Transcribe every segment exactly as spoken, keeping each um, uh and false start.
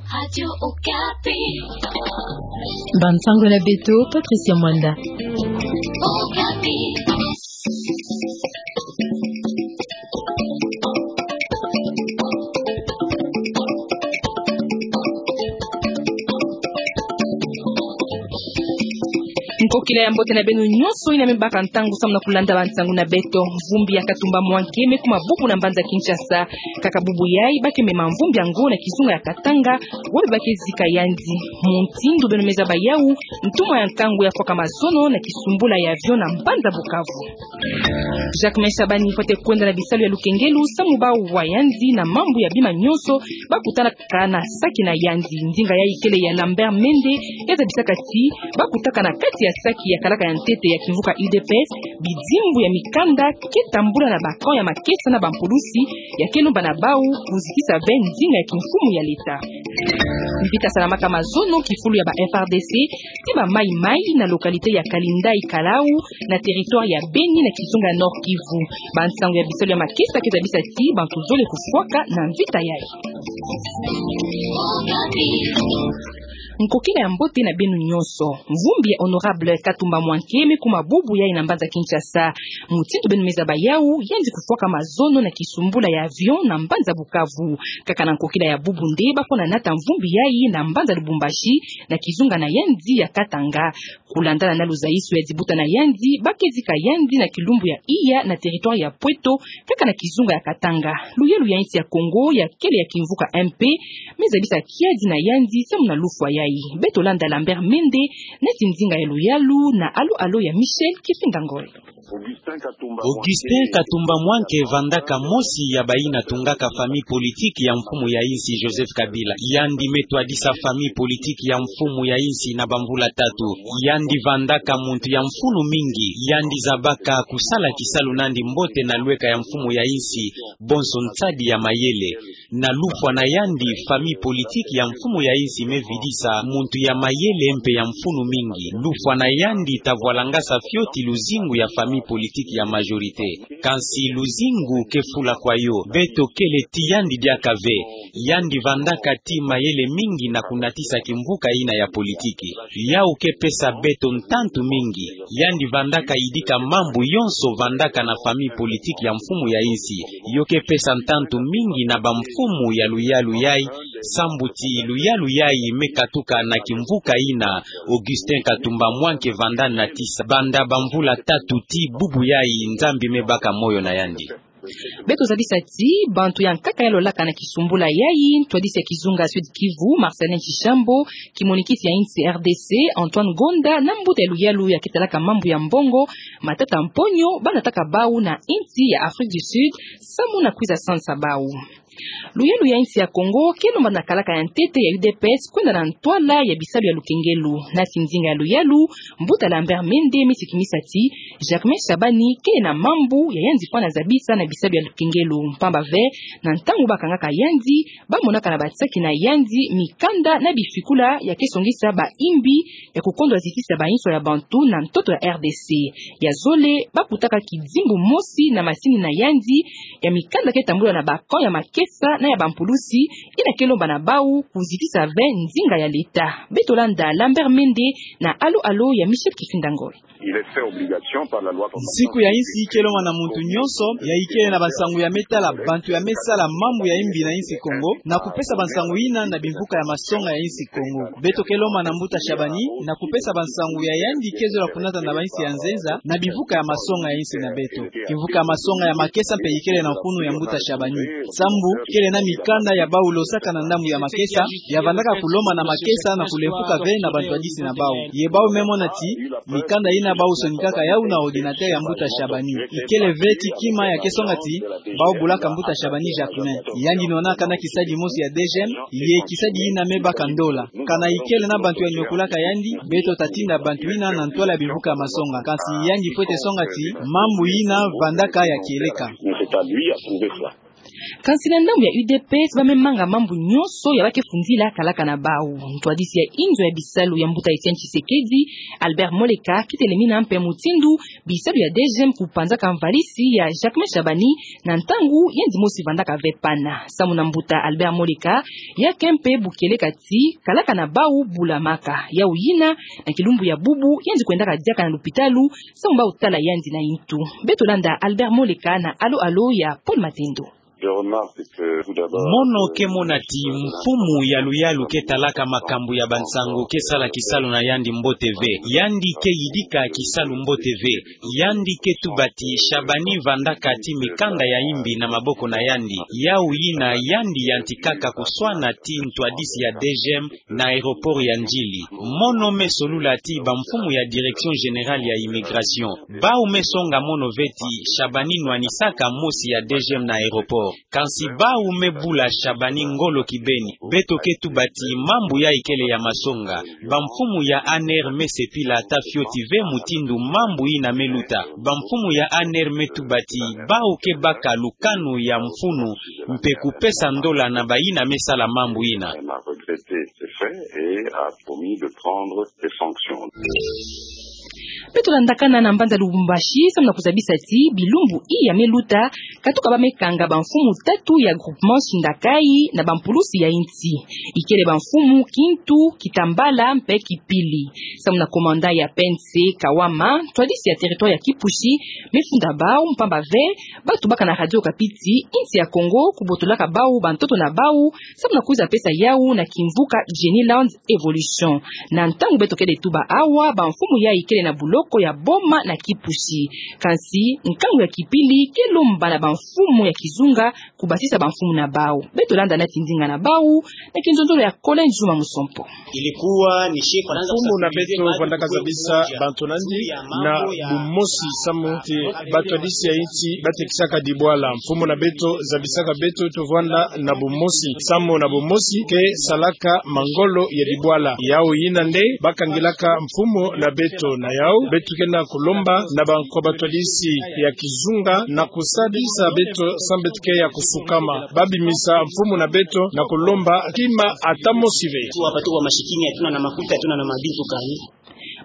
Radio Okapi. Bansango na beto, Patricia Mwanda. Okapi. Nkokila ya mbote na beno nyonso yina me baka ntangu samu na kulanda bansango na beto. Mvumbi ya Katumba Mwanke me kuma bubu na mbanza Kinshasa. Kaka bubu yayi ba ke mema mvumbi yango na kizunga ya Katanga, wapi ba ke zika yandi. Mutindu beno me zaba yawu, ntumwa ya nkangu ya fwaka mazono na kisumbula ya avion na mbanza Bukavu. Jacquemain Shabani fwete kwenda na bisalu ya lukengelu samu ba wa yandi na mambu ya bima nyonso ba kutanaka na saki na yandi. Ndinga yayi kele ya Lambert Mende, ya zabisaka ti ba kutaka na kati ya saki ya kalaka ya ntete ya kimvuka U D P S bidimbu ya mikanda ke tambula na ba camp ya makesa na bampulusi ya ke lomba na bawu kuzitisa ve ndinga ya kimfumu ya leta. Mvita salamaka mazono kifulu ya ba F R D C ti ba Maï-Maï na localité ya Kalindai Kalau, na territoire ya Beni na kizunga ya Nord-Kivu. Bansango ya bisalu ya makesa ke zabisa ti bantu zole kufwaka na mvita yayi. Nkokila ya mbote na beno nyonso. Mvumbi ya Honorable Katumba Mwanke me kuma bubu yayi na mbanza Kinshasa. Mutindu beno me zaba yawu, yandi kufwaka mazono na kisumbula ya avion na mbanza Bukavu. Kaka na nkokila ya bubu nde ba fwana nata mvumbi yayi na mbanza Lubumbashi, na kizunga na yandi ya Katanga. Kulandana na luzayiso ya dibuta na yandi, ba ke zika yandi na kilumbu ya iya na territoire ya Pweto, kaka na kizunga ya Katanga. Luyalu ya insi ya Kongo ya kele ya kimvuka M P me zabisa kiadi na yandi samu na lufwa yayi. Beto landa Lambert Mende neti ndinga ya luyalu na Alo Alo ya Michel Kifinda Ngoi. Augustin Katumba Mwanke vandaka mosi ya bayina tungaka famille politique ya mfumu ya insi Joseph Kabila. Yandi me twadisa famille politique ya mfumu ya insi na bamvula tatu. Yandi vandaka muntu ya mfunu mingi. Yandi zabaka kusala kisalu nandi mbote na lweka ya mfumu ya insi, bonso nsadi ya mayele. Na lufwa na yandi, famille politique ya mfumu ya insi me vidisa muntu ya mayele mpe ya mfunu mingi. Lufwa na yandi ta vwalangasa fioti luzingu ya famille politique ya majorité. Kansi luzingu ke fula kwa yo, beto kele ti yandi diaka ve. Yandi vandaka ti mayele mingi na kunatisa kimvuka yina ya politiki. Yawu ke pesa beto ntantu mingi. Yandi vandaka yidika mambu yonso vandaka na famille politique ya mfumu ya insi. Yo ke pesa ntantu mingi na bamfumu ya luyalu yayi, sambu ti luyalu yayi me katuka na kimvuka yina Augustin Katumba Mwanke vanda natisa banda bamvula tatu ti bubu yayi. Nzambi me baka moyo na yandi. Beto zabisa ti bantu ya nkaka ya lolaka na kisumbula yayi, ntwadisi ya kizunga Sud-Kivu, Marcelin Tshishambo, kimonikisi ya insi R D C, Antoine Ngonda, na mbuta ya luyalu ya ke talaka mambu ya mbongo, Matata Mponyo, ba nataka bawu na insi ya Afrique du Sud samu na kwiza sansa bawu. Luyalu ya insi ya Kongo ke lomba na kalaka ya ntete ya U D P S kwenda na ntwala ya bisalu ya lukengelu. Nati ndinga ya luyalu, mbuta Lambert Mende me sikimisa ti Jacquemain Shabani kele na mambu ya yandi fwana zabisa na bisalu ya lukengelu, mpamba ve na ntangu ba kangaka yandi, ba monaka na bansaki na yandi mikanda na bifikula ya ke songisa bayimbi ya kukondwa zitisa bainso ya bantu na ntoto ya R D C. Ya zole, ba kutaka kidimbu mosi na masini na yandi ya mikanda ke tambula na ba camp ya makesa na ya bampulusi, yina ke lomba na bawu kuzitisa ve ndinga ya leta. Beto landa Lambert Mende na Alo Alo ya Michel Kifinda Ngoi. Nsiku ya insi ke lomba na muntu nyonso ya ikele na bansangu ya me tala bantu ya me sala mambu ya imbi na insi Kongo, na kupesa bansangu yina na bimvuka ya masonga ya insi Kongo. Beto ke lomba na mbuta Shabani na kupesa bansangu ya yandi ke zola kunata na bainsi ya nzenza na bimvuka ya masonga ya insi na beto. Kimvuka ya masonga ya makesa mpe ikele na mfunu ya mbuta Shabani. Sambu kele na mikanda ya bawu losaka na ndambu ya makesa, ya vandaka kulomba na makesa na kulemfuka ve na bantwadisi na bawu. Ye bawu me mona ti mikanda yina bawu sonikaka yawu na ordinateur ya mbuta Shabani. Ikele ve ti kima ya ke songa ti bawu bulaka mbuta Shabani Jacquemain. Yandi nwanaka na kisadi mosi ya D G M, ye kisadi yina me baka ndola. Kana ikele na bantu ya niokolaka yandi, beto ta tinda bantu yina na ntwala ya bimvuka ya masonga. Kansi yandi fwete songa ti mambu yina vandaka ya kieleka. Kansi na ndambu ya U D P S, ba me manga mambu nyonso ya ba ke fundila kalaka na bau. Ntwadisi ya inzo ya bisalu ya mbuta Etienne Tshisekedi, Albert Moleka, ke telemina mpe mutindu bisalu ya DGM kupanzaka mvalisi ya Jacquemain Shabani na ntangu yandi mosi vandaka ve pana. Samu na mbuta Albert Moleka, ya ke mpe bu kieleka ti kalaka na bau bulamaka. Yau yina, na kilumbu ya bubu, yandi kwendaka diaka na lupitalu, samu bau tala yandi na intu. Beto landa Albert Moleka na alo-alo ya Paul Matendo. Mono ke mona ti mfumu ya luyalu ke talaka makambu ya bansangu ke sala kisalu na yandi mbote ve. Yandi ke yidika kisalu mbote ve. Yandi ke tuba ti Shabani vandaka ti mikanda ya imbi na maboko na yandi. Yau yina yandi yantikaka kuswana ti ntwadisi ya DGM na aéroport ya Ndjili. Mono me solula ti bamfumu ya Direction Générale ya Immigration. Bau me songa mono ve ti Shabani nwanisaka mosi ya DGM na aéroport. Kansi bau me bula Shabani ngolo kibeni. Beto ke tuba ti mambu yai kele ya masonga. Bamfumu ya ANR me sepila ata fioti ve mutindu mambu yina me luta. Bamfumu ya ANR me tuba ti bau ke baka lukanu ya mfunu mpe kupesa ndola na bayina me sala mambu yina. Beto landakana na mbanza Lubumbashi, samu na kuzabisa ti bilumbu iya me luta, katuka ba me kanga bamfumu tatu ya groupement Shindakai na bampulusi ya insi. Ikele bamfumu Kintu, Kitambala mpe Kipili. Samu na commandant ya PNC Kawama, ntwadisi ya territoire ya Kipushi me funda bau mpamba ve batu baka na Radio Okapi ti insi ya Kongo kubotolaka bau bantoto na bau, samu na kwiza pesa yau na kimvuka Geniland Evolution. Na ntangu beto kele tuba awa, bamfumu yai kele na buloko ya Boma na Kipushi. Kansi nkangu ya Kipili ke lomba na bamfumu ya kizunga kubasisa bamfumu na bau. Beto landa nati ndinga na bau na kinzonzolo ya Colin Juma Musompo. Mfumu na beto vandaka zabisa bantu nandi na bumosi, samu ti batwadisi ya insi batekisaka dibwala. Mfumu na beto zabisaka beto tuvwanda na bumosi, samu na bumosi ke salaka mangolo ya dibwala. Yau yina nde bakangilaka mfumu na beto. Na yau beto ke na kulomba na bankwa batwadisi ya kizunga na kusadisa beto samu beto ke ya kusukama. Babimisa mfumu na beto na kulomba kima ata mosi ve.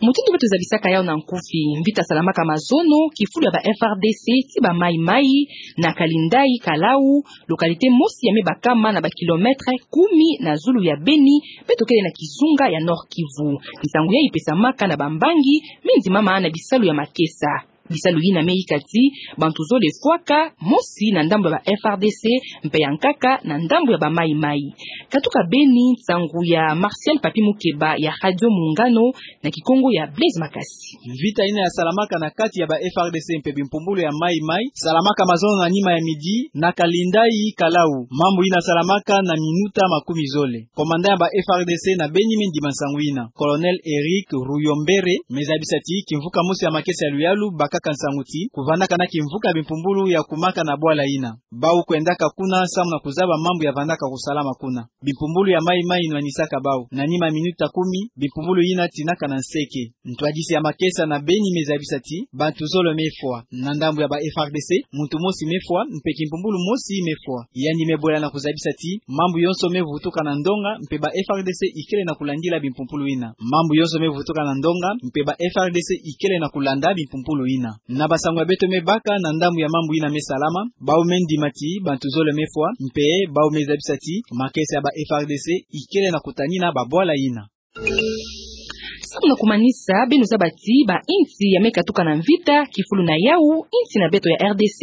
Mutindu beto zabisaka yau na nkufi, mvita salamaka mazono kifulu ya ba FARDC ti ba Maï-Maï na Kalindai Kalau, localité mosi ya me bakama na ba kilomètre kumi na zulu ya Beni, beto kele na kizunga ya Nord-Kivu. Nsangu yai ipesamaka na bambangi me ndimama na bisalu ya makesa. Bisalu yina me yika ti bantu zole fwaka, mosi na ndambu ya ba FARDC mpe ya nkaka na ndambu ya ba Maï-Maï. Katuka Beni, nsangu ya Martial Papi Mukeba ya Radio Muungano na Kikongo ya Blaise Makasi. Mvita yina ya salamaka na kati ya ba FARDC mpe bimpumbulu ya Maï-Maï salamaka mazono na nima ya midi na Kalindai Kalau. Mambu yina salamaka na minuta makumi zole. Commandant ya ba FARDC na Beni me ndima nsangu yina. Colonel Eric Ruyombere me zabisa ti kimvuka mosi ya makesa ya luyalu bakaka nsangu ti kuvandaka na kimvuka ya bimpumbulu ya kumaka na bwala yina. Bau kwendaka kuna samu na kuzaba mambu ya vandaka kusalama kuna. Bimpumbulu ya Maï-Maï nwanisaka bau. Na nima minuta kumi, bimpumbulu yina tinaka na nseke. Ntwadisi ya makesa na Beni me zabisa ti bantu zole me fwa. Na ndambu ya ba FARDC, muntu mosi me fwa, mpe kimpumbulu mosi me fwa. Yandi me bwela na kuzabisa ti mambu yonso me vutuka na ndonga, mpe ba FARDC ikele na kulandila bimpumbulu yina. Mambu yonso me vutuka na ndonga, mpe ba FARDC ikele na kulanda bimpumbulu yina. Na bansangu ya beto me baka na ndambu ya mambu yina me salama, bau me ndima ti bantu zole me fwa, mpe bau me zabisa ti makesa ya ba FARDC ikele na kutanina babwala yina. Samu na kumanisa, beno zaba ti bainsi ya me katuka na mvita, kifulu na yau insi na beto ya RDC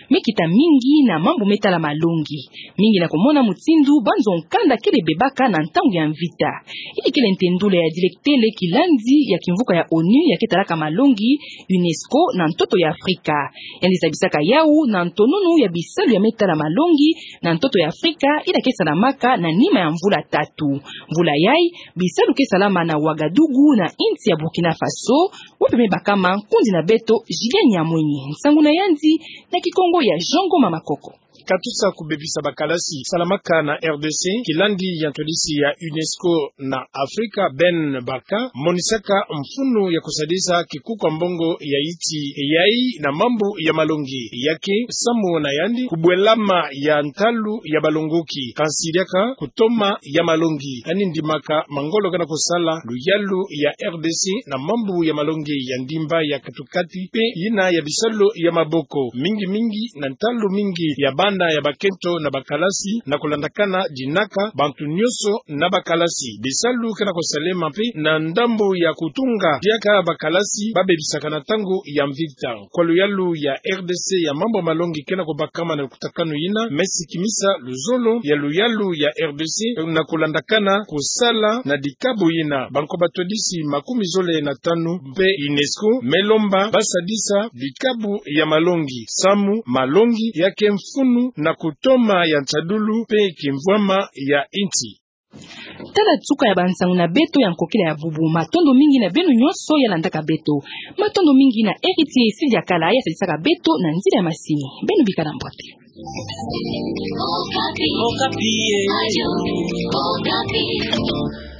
me kita mingi na mambu me tala malongi. Mingi na kumona mutindu banzo nkanda kele bebaka na ntangu ya mvita. Yina kele ntendula ya diletele kilandi ya kimvuka ya ONU ya ke talaka malongi, UNESCO, na ntoto ya Afrika. Yandi zabisaka yau na ntonunu ya bisalu ya me tala malongi na ntoto ya Afrika, yina ke salamaka na nima ya mvula tatu. Mvula yai, bisalu ke salama na Ouagadougou na insi ya Burkina Faso, wapi me bakama nkundi na beto Julien Nyamwenyi. Nsangu na yandi na Kikongo ya Jean Ngoma Makoko. Katusa kubebisa bakalasi salamaka na R D C, kilandi ya ntwadisi ya UNESCO na Afrika, Ben Barka, monisaka mfunu ya kusadisa kikuku ya mbongo ya iti, yayi na mambu ya malongi. Ya ke samu na yandi kubwelama ya ntalu ya balongoki, kansi diaka kutoma ya malongi. Yandi ndimaka mangolo kena kusala luyalu ya R D C na mambu ya malongi ya ndimba ya katukati mpe yina ya bisalu ya maboko, mingi mingi na ntalu mingi ya bana ya bakento na bakalasi, na kulandakana dinaka bantu nyonso na bakalasi. Bisalu kena kusalema mpe na ndambu ya kutunga diaka bakalasi babebisakana ntangu ya mvita. Kwa luyalu ya R D C ya mambu ya malongi kena kubakama na lukutakanu yina, me sikimisa luzolo ya luyalu ya R D C na kulandakana kusala na dikabu yina. Bankoba twadisi makumi zole na tanu mpe UNESCO me lomba basadisa dikabu ya malongi, samu malongi ya ke mfunu na kutoma ya nsadulu mpe kimvwama ya insi. Tala suka ya bansangu na beto ya nkokila ya bubu. Matondo mingi na beno nyonso ya landaka beto. Matondo mingi na Héritier Sylvia Kala ya sadisaka beto na nzila ya masini. Beno bikala mbote. Okapi. Okapi, eh. Radio Okapi.